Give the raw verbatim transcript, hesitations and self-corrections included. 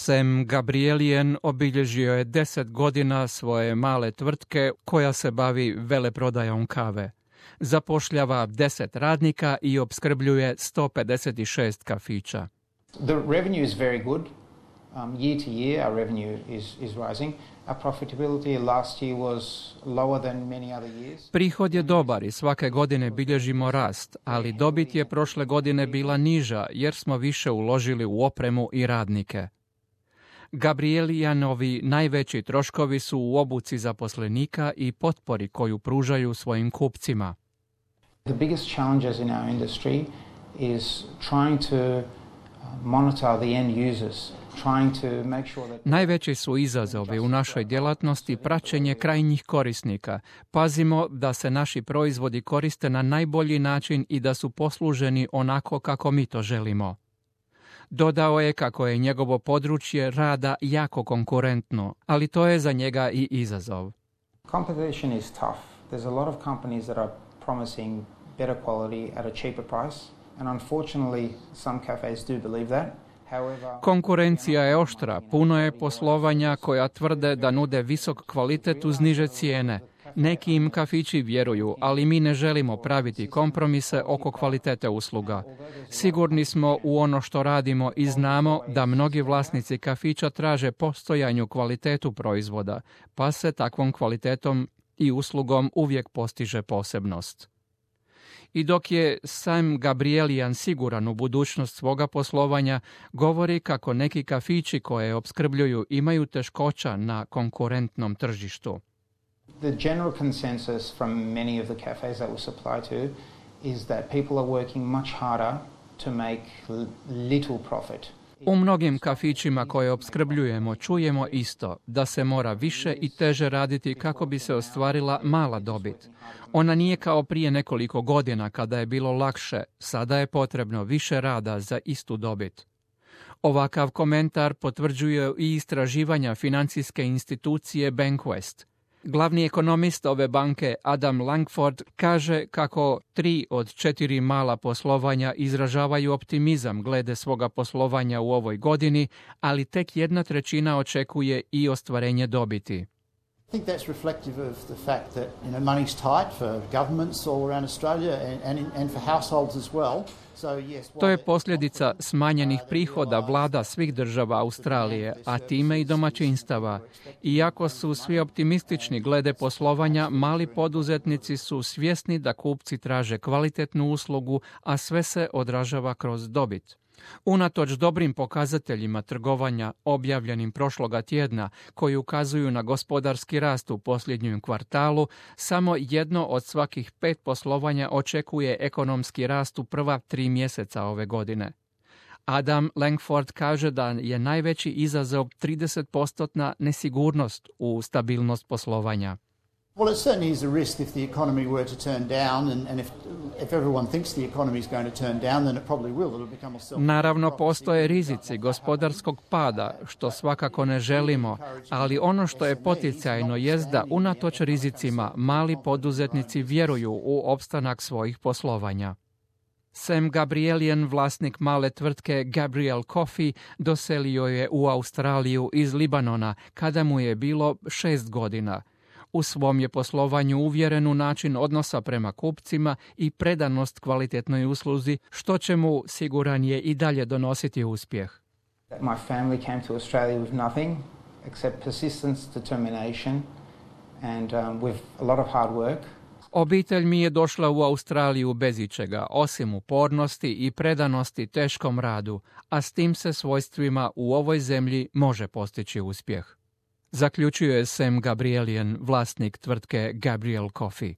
Sam Gabrielian obilježio je deset godina svoje male tvrtke koja se bavi veleprodajom kave. Zapošljava deset radnika i opskrbljuje sto pedeset šest kafića. The revenue is very good. Um, year to year our revenue is, is rising. Our profitability last year was lower than many other years. Prihod je dobar i svake godine bilježimo rast, ali dobit je prošle godine bila niža jer smo više uložili u opremu i radnike. Gabrielijanovi najveći troškovi su u obuci zaposlenika i potpori koju pružaju svojim kupcima. The biggest challenges in our industry is trying to monitor the end users. Najveći su izazovi u našoj djelatnosti praćenje krajnjih korisnika. Pazimo da se naši proizvodi koriste na najbolji način i da su posluženi onako kako mi to želimo. Dodao je kako je njegovo područje rada jako konkurentno, ali to je za njega i izazov. Competition is tough. There's a lot of companies that are promising better quality at a cheaper price, and unfortunately some cafes do believe that. Konkurencija je oštra, puno je poslovanja koja tvrde da nude visok kvalitet uz niže cijene. Neki im kafići vjeruju, ali mi ne želimo praviti kompromise oko kvalitete usluga. Sigurni smo u ono što radimo i znamo da mnogi vlasnici kafića traže postojanju kvalitetu proizvoda, pa se takvom kvalitetom i uslugom uvijek postiže posebnost. I dok je Sam Gabrielian siguran u budućnost svoga poslovanja, govori kako neki kafići koje opskrbljuju imaju teškoća na konkurentnom tržištu. The general consensus from many of the cafes that we supply to is that people are working much harder to make little profit. U mnogim kafićima koje opskrbljujemo čujemo isto, da se mora više i teže raditi kako bi se ostvarila mala dobit. Ona nije kao prije nekoliko godina kada je bilo lakše, sada je potrebno više rada za istu dobit. Ovakav komentar potvrđuje i istraživanja financijske institucije Bankwest. Glavni ekonomist ove banke Adam Langford kaže kako tri od četiri mala poslovanja izražavaju optimizam glede svoga poslovanja u ovoj godini, ali tek jedna trećina očekuje i ostvarenje dobiti. I think that's reflective of the fact that you know money's tight for governments all around Australia and and, and for households as well. So yes, to je posljedica smanjenih prihoda vlada svih država Australije, a time i domaćinstava. Iako su svi optimistični glede poslovanja, mali poduzetnici su svjesni da kupci traže kvalitetnu uslugu, a sve se odražava kroz dobit. Unatoč dobrim pokazateljima trgovanja objavljenim prošloga tjedna koji ukazuju na gospodarski rast u posljednjem kvartalu, samo jedno od svakih pet poslovanja očekuje ekonomski rast u prva tri mjeseca ove godine. Adam Langford kaže da je najveći izazov trideset posto nesigurnost u stabilnost poslovanja. Well, it certainly is a risk if the economy were to turn down, and, and if, if everyone thinks the economy is going to turn down, then it probably will. It'll become a self- Naravno, postoje rizici gospodarskog pada, što svakako ne želimo, ali ono što je poticajno jest da unatoč rizicima mali poduzetnici vjeruju u opstanak svojih poslovanja. Sam Gabrielian, vlasnik male tvrtke Gabriel Coffee, doselio je u Australiju iz Libanona kada mu je bilo šest godina. U svom je poslovanju uvjeren u način odnosa prema kupcima i predanost kvalitetnoj usluzi, što će mu, siguran je, i dalje donositi uspjeh. My family came to Australia with nothing except persistence, determination and um, with a lot of hard work. Obitelj mi je došla u Australiju bez ičega, osim upornosti i predanosti teškom radu, a s tim se svojstvima u ovoj zemlji može postići uspjeh. Zaključuje Sam Gabrielian, vlasnik tvrtke Gabriel Coffee.